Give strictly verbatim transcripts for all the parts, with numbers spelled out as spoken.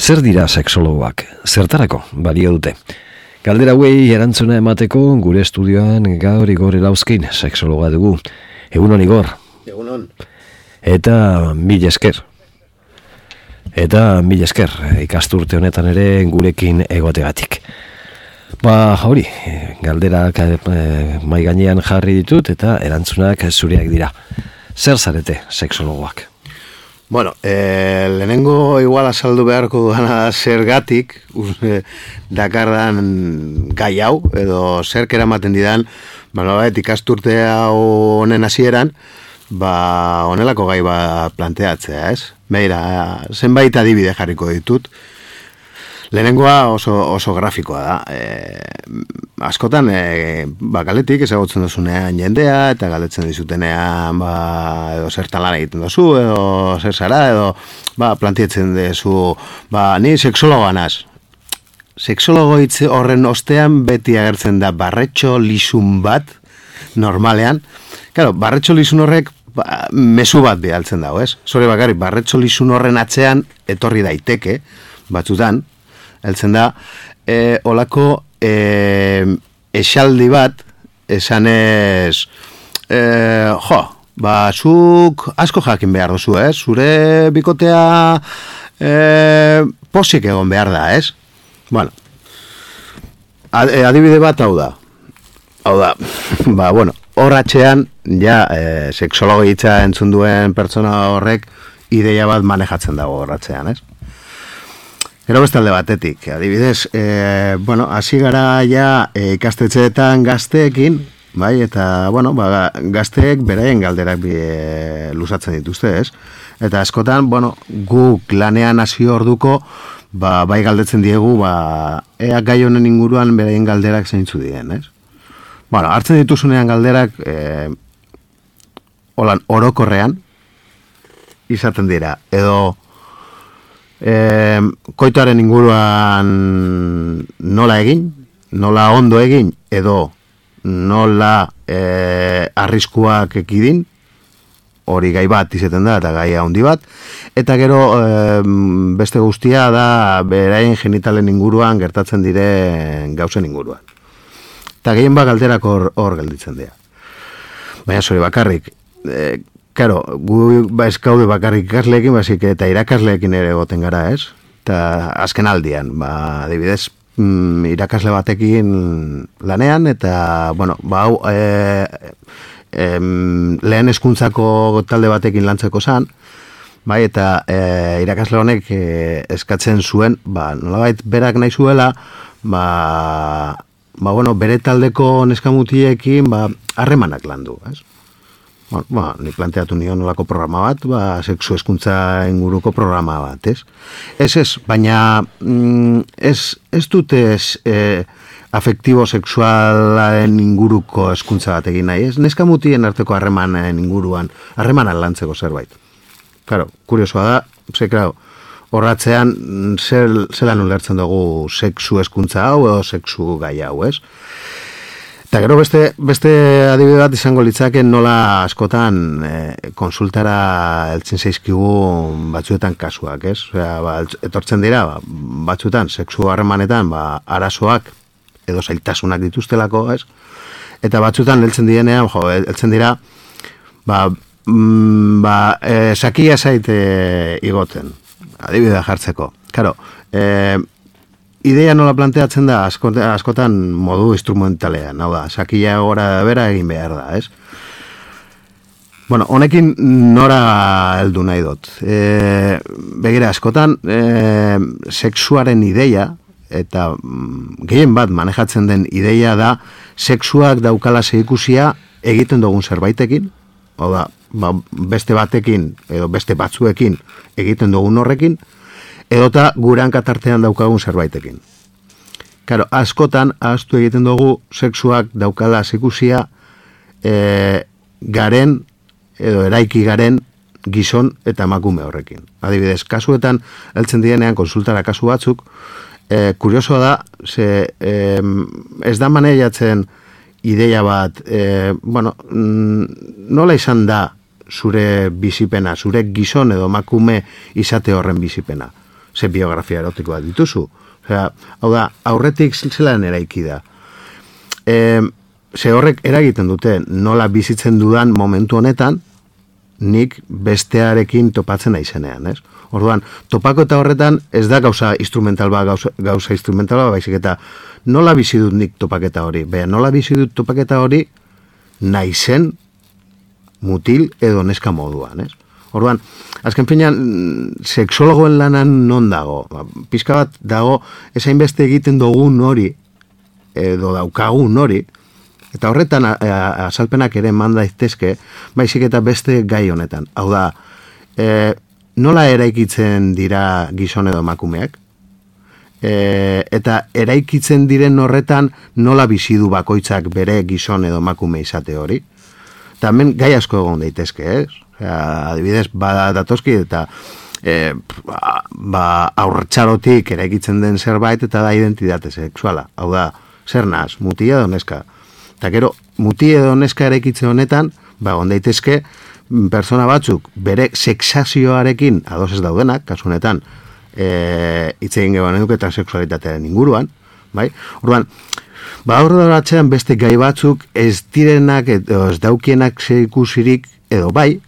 Zer dira sexologoak? Zertarako balio dute? Galdera hauei erantzuna emateko gure estudioan gaur Igor Elauzkin sexologa dugu. Egunon, Igor. Egunon. Eta mil esker. Eta mil esker ikasturte honetan ere gurekin egotegatik. Ba, hori, galderak eh, mai gainean jarri ditut eta erantzunak zureak dira. Zer zarete sexologoak? Bueno, eh, lehenengo igual azaldu beharko dana zergatik eh, dakardan gai hau, edo zerk eramaten didan, ba, ikasturte hau honen hasieran, ba, honelako gai bat planteatzea, ez? Beira, zenbait adibide jarriko ditut. Lehenengoa oso, oso grafikoa da. E, askotan, e, ba, galetik ezagutzen duzunean jendea, eta galetzen dizutenean, ba, edo zertan lan egiten duzu, edo zer zara, edo, ba, plantietzen duzu, ba, ni sexologoa naz. Sexologo hitz horren ostean beti agertzen da barretxo lisun bat, normalean. Claro, barretxo lisun horrek, ba, mezu bat bialtzen dago, ez? Zore bakarrik, barretxo lisun horren atzean etorri daiteke, batzutan, heltzen da, e, olako e, esaldi bat, esanez, e, jo, ba, zuk asko jakin behar duzu, ez? Zure bikotea e, posik egon behar da, ez? Bueno, adibide bat hau da. Hau da, ba, bueno, horratxean, ja, e, sexologo hitza entzun duen pertsona horrek ideia bat manejatzen dago horratxean, ez? Gero bestalde batetik, adibidez, e, bueno, hasi gara ja e, ikastetxeetan gazteekin, bai, eta, bueno, ba, gazteek beraien galderak bi, e, luzatzen dituzte, ez? Eta askotan, bueno, guk lanean hasi orduko, ba, bai galdetzen diegu, ba, ea gai honen inguruan beraien galderak zeintzu dien, ez? Bueno, hartzen dituzunean galderak, e, holan, orokorrean, izaten dira, edo, E, koitoaren inguruan nola egin, nola ondo egin, edo nola e, arriskuak ekidin, hori gai bat izaten da, eta gai handi bat, eta gero e, beste guztia da beraien genitalen inguruan gertatzen diren gauzen inguruan. Eta gehien bat galderak hor, hor gelditzen dira. Baina zori bakarrik, e, Karo, gu ba eskaude bakarrik ikasleekin, basik eta irakasleekin ere goten gara, ez? Eta azken aldian, ba, adibidez, mm, irakasle batekin lanean, eta, bueno, ba, hau, e, e, lehen hezkuntzako talde batekin lantzeko zan, bai, eta e, irakasle honek e, eskatzen zuen, ba, nolabait berak nahi zuela, ba, ba, bueno, bere taldeko neskamutiekin, ba, harremanak landu, ez? Bueno, ba, ni planteatu nion nolako programa bat, ba, sexu hezkuntza inguruko programa bat, ez? Ez ez, baina mm, ez, ez dute ez, e, afektibo sexualaren inguruko hezkuntza bat egin nahi, ez? Neska mutien arteko harremanen inguruan, harremanan lantzeko zerbait. Claro, kuriosoa da, ze, claro, horratzean zel, zelan ulertzen dugu sexu hezkuntza hau edo sexu gai hau, ez? Eta gero beste, beste adibide bat izango litzake nola askotan e, konsultara heltzen zaizkigu batzuetan kasuak, ez? Osea, ba, etortzen dira, ba, batzuetan, sexu harremanetan, ba, arazoak edo zailtasunak dituztelako, ez? Eta batzuetan heltzen direnean, jo, heltzen dira, ba, mm, ba, e, sakia zaite igoten, adibidea jartzeko. Karo, e, ideia nola planteatzen da askotan, askotan modu instrumentalean, hau da, sakia gora bera egin behar da, ez? Bueno, honekin nora heldu nahi dut. E, begira, askotan e, sexuaren ideia, eta mm, gehien bat manejatzen den ideia da, sexuak daukala zehikusia egiten dugun zerbaitekin, hau da, ba, beste batekin, edo beste batzuekin egiten dugun horrekin, edota gure hankatartean daukagun zerbaitekin. Karo, askotan, ahaztu egiten dugu, sexuak daukala zikusia e, garen, edo eraiki garen, gizon eta emakume horrekin. Adibidez, kasuetan, heltzen dienean konsultara kasu batzuk, e, kuriosoa da, ze, e, ez da maneiatzen ideia bat, e, bueno, nola izan da zure bizipena, zure gizon edo emakume izate horren bizipena. ze biografia erotikoa dituzu. Osea, hau da, aurretik zelan eraiki da. E, ze horrek eragiten dute, nola bizitzen dudan momentu honetan, nik bestearekin topatzen naizenean, ez? Orduan, topako eta horretan ez da gauza instrumental ba, gauza, gauza instrumental ba, baizik eta nola bizi dut nik topaketa hori? Beha, nola bizi dut topaketa hori naizen mutil edo neska moduan, ez? Orduan, azken finean, sexologoen lanan non dago? Ba, pizka bat dago, esain beste egiten dugun hori, edo daukagun hori, eta horretan a, a, azalpenak ere eman daitezke, baizik eta beste gai honetan. Hau da, e, nola eraikitzen dira gizon edo emakumeak? E, eta eraikitzen diren horretan nola bizi du bakoitzak bere gizon edo emakume izate hori? Eta hemen gai asko egon daitezke, ez? Osea, adibidez, bada datoski eta e, ba, ba, aurtxarotik eraikitzen den zerbait eta da identitate sexuala. Hau da, zer naz, mutia edo neska. Eta gero, muti edo neska eraikitze honetan, ba, on daitezke, persona batzuk bere sexazioarekin ados ez daudenak, kasu honetan, e, hitz egin geban eduke transexualitatearen inguruan, bai? Orduan, ba, horretzean beste gai batzuk ez direnak edo ez daukienak ikusirik edo bai,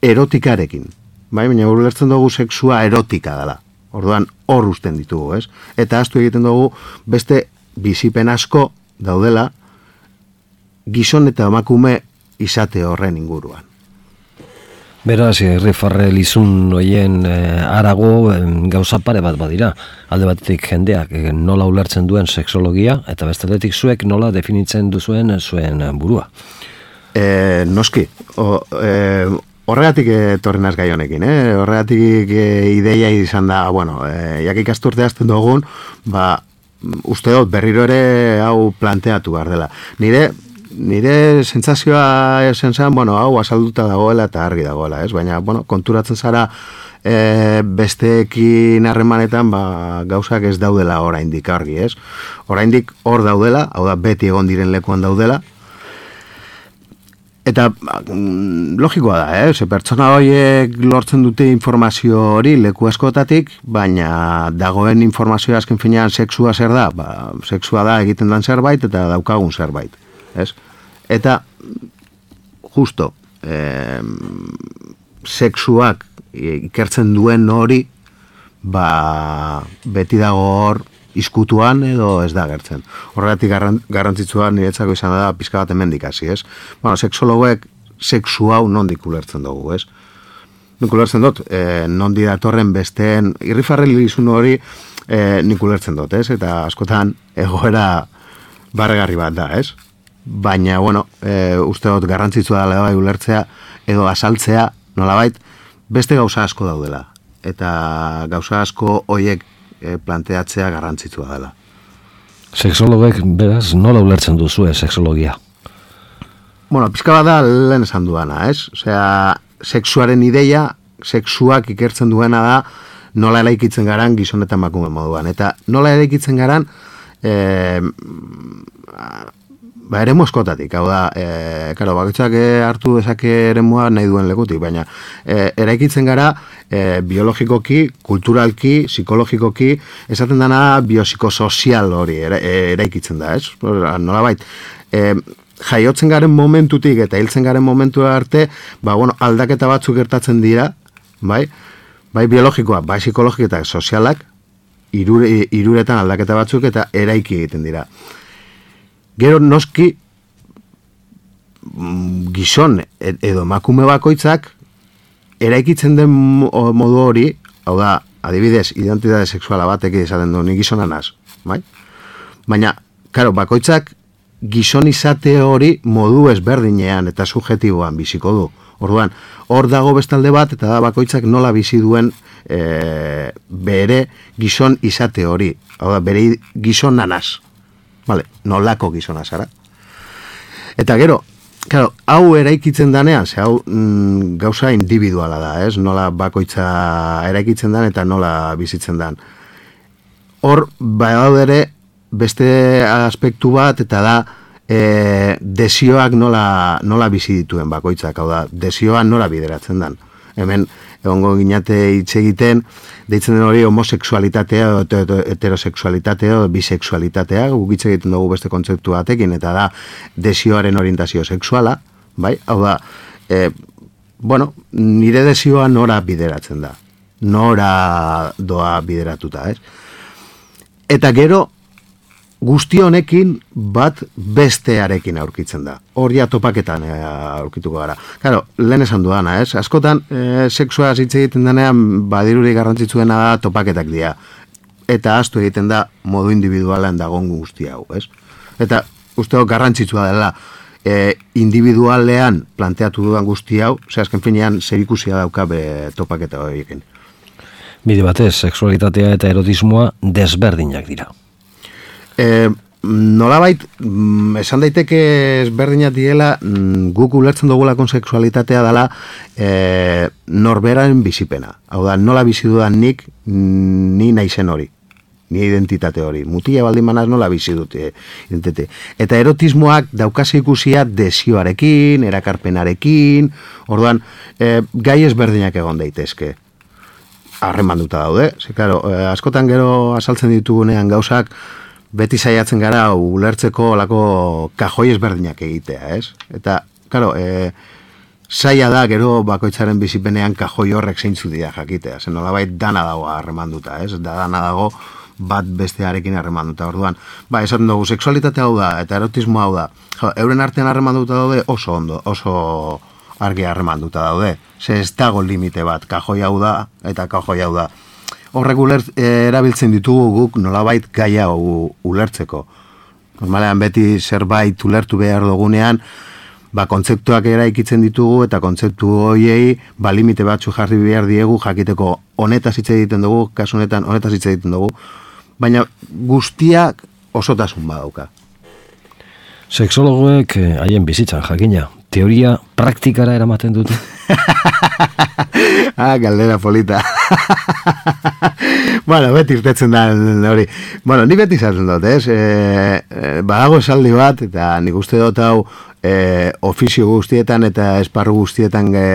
erotikarekin. Bai, baina ulertzen dugu sexua erotika dela. Orduan, hor usten ditugu, ez? Eta ahaztu egiten dugu beste bizipen asko daudela gizon eta emakume izate horren inguruan. Beraz, irrifarre lizun hoien eh, arago eh, gauza pare bat badira. Alde batetik jendeak eh, nola ulertzen duen sexologia, eta bestetik zuek nola definitzen duzuen zuen burua. E, noski, o, e, horregatik etorri naz gai honekin, eh? Horregatik e, ideia izan da, bueno, e, jak ikasturte hasten dugun, ba, uste dut berriro ere hau planteatu behar dela. Nire Nire sentsazioa esen zen, bueno, hau azalduta dagoela eta argi dagoela, ez? Baina, bueno, konturatzen zara e, besteekin harremanetan, ba, gauzak ez daudela oraindik argi, ez? Oraindik hor daudela, hau da, beti egon diren lekuan daudela. Eta mm, logikoa da, eh? Ze pertsona horiek lortzen dute informazio hori leku askotatik, baina dagoen informazioa azken finean sexua zer da? Ba, sexua da egiten dan zerbait eta daukagun zerbait. Ez? Eta justo eh, sexuak ikertzen duen hori ba, beti dago hor izkutuan edo ez da gertzen. Horregatik garrantzitsua niretzako izan da pizka bat hemendik hasi, ez? Bueno, sexologoek sexu hau nondik ulertzen dugu, ez? Nik ulertzen dut, eh, nondi datorren besteen irrifarrelizun hori eh, nik ulertzen dut, ez? Eta askotan egoera barregarri bat da, ez? Baina, bueno, e, uste dut garrantzitsua dela bai ulertzea edo azaltzea, nolabait, beste gauza asko daudela. Eta gauza asko hoiek e, planteatzea garrantzitsua dela. Sexologek, beraz, nola ulertzen duzue sexologia? Bueno, pizka bat da lehen esan duana, ez? Osea, sexuaren ideia, sexuak ikertzen duena da nola eraikitzen garan gizon eta emakume moduan. Eta nola eraikitzen garan e, ba, eremu askotatik, hau da, e, karo, bakoitzak hartu dezake eremua nahi duen lekutik, baina e, eraikitzen gara e, biologikoki, kulturalki, psikologikoki, esaten dana biopsikosozial hori era, eraikitzen da, ez? Nolabait, e, jaiotzen garen momentutik eta hiltzen garen momentua arte, ba, bueno, aldaketa batzuk gertatzen dira, bai, bai biologikoa, bai psikologiko eta sozialak, irure, iruretan aldaketa batzuk eta eraiki egiten dira. Gero noski gizon edo emakume bakoitzak eraikitzen den modu hori, hau da, adibidez, identitate sexuala batek esaten du, ni gizona naz, bai? Baina, karo, bakoitzak gizon izate hori modu ezberdinean eta subjetiboan biziko du. Orduan, hor dago bestalde bat eta da bakoitzak nola bizi duen e, bere gizon izate hori, hau da, bere gizon nanaz. Vale, nolako gizona zara. Eta gero, claro, hau eraikitzen danean, ze hau mm, gauza individuala da, ez? Nola bakoitza eraikitzen dan eta nola bizitzen dan. Hor, badaude ere, beste aspektu bat, eta da, e, desioak nola, nola bizi dituen bakoitzak, hau da, desioa nola bideratzen dan. Hemen, egongo ginate hitz egiten, deitzen den hori homosexualitatea, heterosexualitatea, bisexualitatea, guk hitz egiten dugu beste kontzeptu batekin, eta da desioaren orientazio sexuala, bai? Hau da, e, bueno, nire desioa nora bideratzen da, nora doa bideratuta, ez? Eta gero, guzti honekin bat bestearekin aurkitzen da. Hori topaketan e, aurkituko gara. Claro, lehen esan duana, ez? Askotan, e, sexua hitz egiten denean, badiruri garrantzitsuena da topaketak dira. Eta astu egiten da modu individualean dagoen guzti hau, ez? Eta usteo garrantzitsua dela e, individualean planteatu dudan guzti hau, ze azken finean zerikusia dauka be topaketa horiekin. Bide batez, sexualitatea eta erotismoa desberdinak dira. E, nolabait, esan daiteke ezberdinak diela, guk ulertzen dugulakon sexualitatea dela e, norberaren bizipena. Hau da, nola bizi dudan nik, ni naizen hori, ni identitate hori. Mutila baldin manaz nola bizi dute identitate. Eta erotismoak daukase ikusia desioarekin, erakarpenarekin, orduan, e, gai ezberdinak egon daitezke. Harremanduta daude. Ze, claro, e, askotan gero azaltzen ditugunean gauzak, beti saiatzen gara ulertzeko olako kajoi ezberdinak egitea, ez? Eta, claro, e, saia da gero bakoitzaren bizipenean kajoi horrek zeintzu dira jakitea. Zen nolabait dana dago harremanduta, ez? Da dana dago bat bestearekin harremanduta. Orduan, ba, esaten dugu, sexualitatea hau da, eta erotismo hau da. Jo, euren artean harremanduta daude oso ondo, oso argi harremanduta daude. Ze ez dago limite bat, kajoi hau da, eta kajoi hau da. Horrek ulert, e, erabiltzen ditugu guk nolabait gaia u, ulertzeko. Normalean beti zerbait ulertu behar dugunean, ba, kontzeptuak eraikitzen ditugu eta kontzeptu horiei ba, limite batzu jarri behar diegu jakiteko honetaz hitz egiten dugu, kasu honetan honetaz hitz egiten dugu, baina guztiak osotasun badauka. Sexologoek haien bizitzan jakina, teoria praktikara eramaten dute? Ah, galdera polita. Bueno, beti irtetzen da hori. Bueno, ni beti izaten dut, ez? E, e, badago esaldi bat, eta nik uste dut hau e, ofizio guztietan eta esparru guztietan e,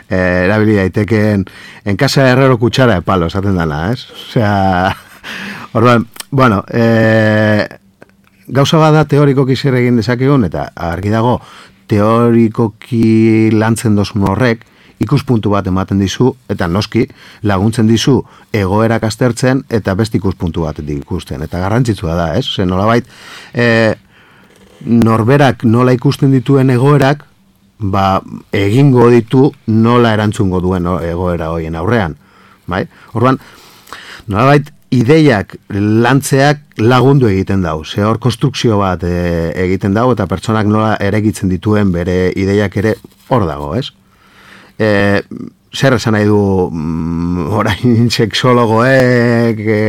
e, erabili daitekeen en casa herrero kutsara de palo, esaten dana, ez? Osea, orduan, bueno, e, gauza bada teorikoki zer egin dezakegun, eta argi dago, teorikoki lantzen dozun horrek, ikuspuntu bat ematen dizu, eta noski laguntzen dizu egoerak aztertzen, eta beste ikuspuntu bat ikusten. Eta garrantzitsua da, ez? Zer nolabait, e, norberak nola ikusten dituen egoerak, ba, egingo ditu nola erantzungo duen egoera hoien aurrean. Bai? Orduan, nolabait, ideiak lantzeak lagundu egiten dau. Ze hor konstrukzio bat e, egiten dau, eta pertsonak nola eregitzen dituen bere ideiak ere hor dago, ez? E, zer esan nahi du mm, orain sexologoek e,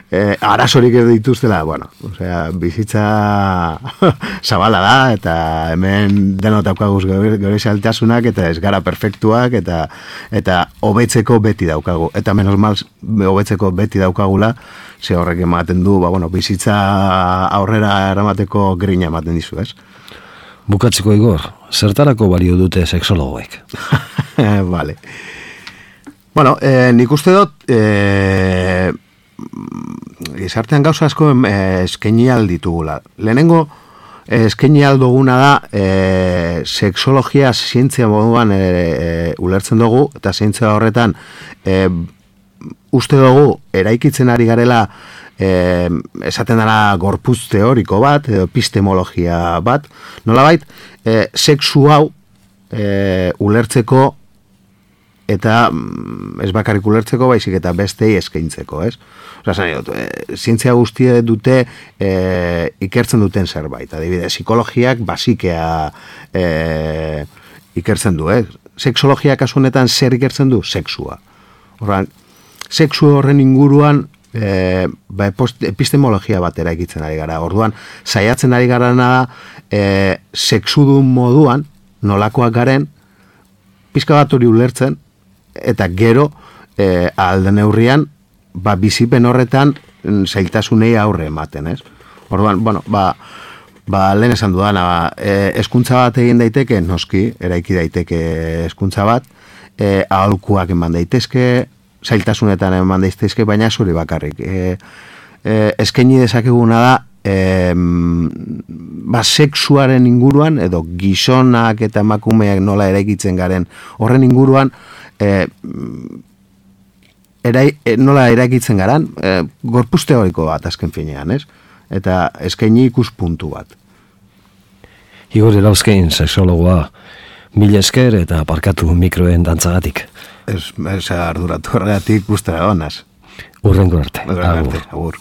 e, arazorik ez dituztela, bueno, osea, bizitza zabala da, eta hemen denot daukaguz gure zailtasunak, eta ez gara perfektuak, eta eta hobetzeko beti daukagu, eta menos mal hobetzeko beti daukagula, ze horrek ematen du, ba, bueno, bizitza aurrera eramateko grina ematen dizu, ez? Bukatzeko, Igor, zertarako balio dute sexologoek? Vale. Bueno, eh, nik uste dut, eh, gizartean gauza asko eh, eskaini alditugula. Lehenengo, eh, eskaini alduguna da, eh, sexologia zientzia moduan eh, eh, ulertzen dugu, eta zientzia horretan, eh, uste dugu, eraikitzen ari garela, Eh, esaten dara gorputz teoriko bat, edo epistemologia bat, nolabait, eh, sexu hau eh, ulertzeko eta ez bakarrik ulertzeko, baizik eta bestei eskaintzeko, ez? Osa, zan dut, eh, zientzia guztie dute eh, ikertzen duten zerbait, adibidez, psikologiak basikea eh, ikertzen du, eh? Sexologia kasu honetan zer ikertzen du? Sexua. Horran, sexu horren inguruan E, ba, epistemologia bat eraikitzen ari gara. Orduan, saiatzen ari gara da e, sexudun moduan, nolakoak garen, pizka bat hori ulertzen, eta gero, e, alde neurrian, ba, bizipen horretan zailtasunei aurre ematen, ez? Orduan, bueno, ba, ba lehen esan dudana, ba, e, eskuntza bat egin daiteke, noski, eraiki daiteke eskuntza bat, e, aholkuak eman daitezke, zailtasunetan eman daitezke, baina zuri bakarrik. E, e, eskaini dezakeguna da, e, ba, sexuaren inguruan, edo gizonak eta emakumeak nola eraikitzen garen horren inguruan, e, erai, e, nola eraikitzen garan, e, gorpuz teoriko bat azken finean, ez? Eta eskaini ikuspuntu bat. Igor Elauzkein, sexologoa, mila esker eta parkatu mikroen dantzagatik. Ez, ez arduratu horregatik guztara donaz. Urrengo arte. Urrengo arte, agur.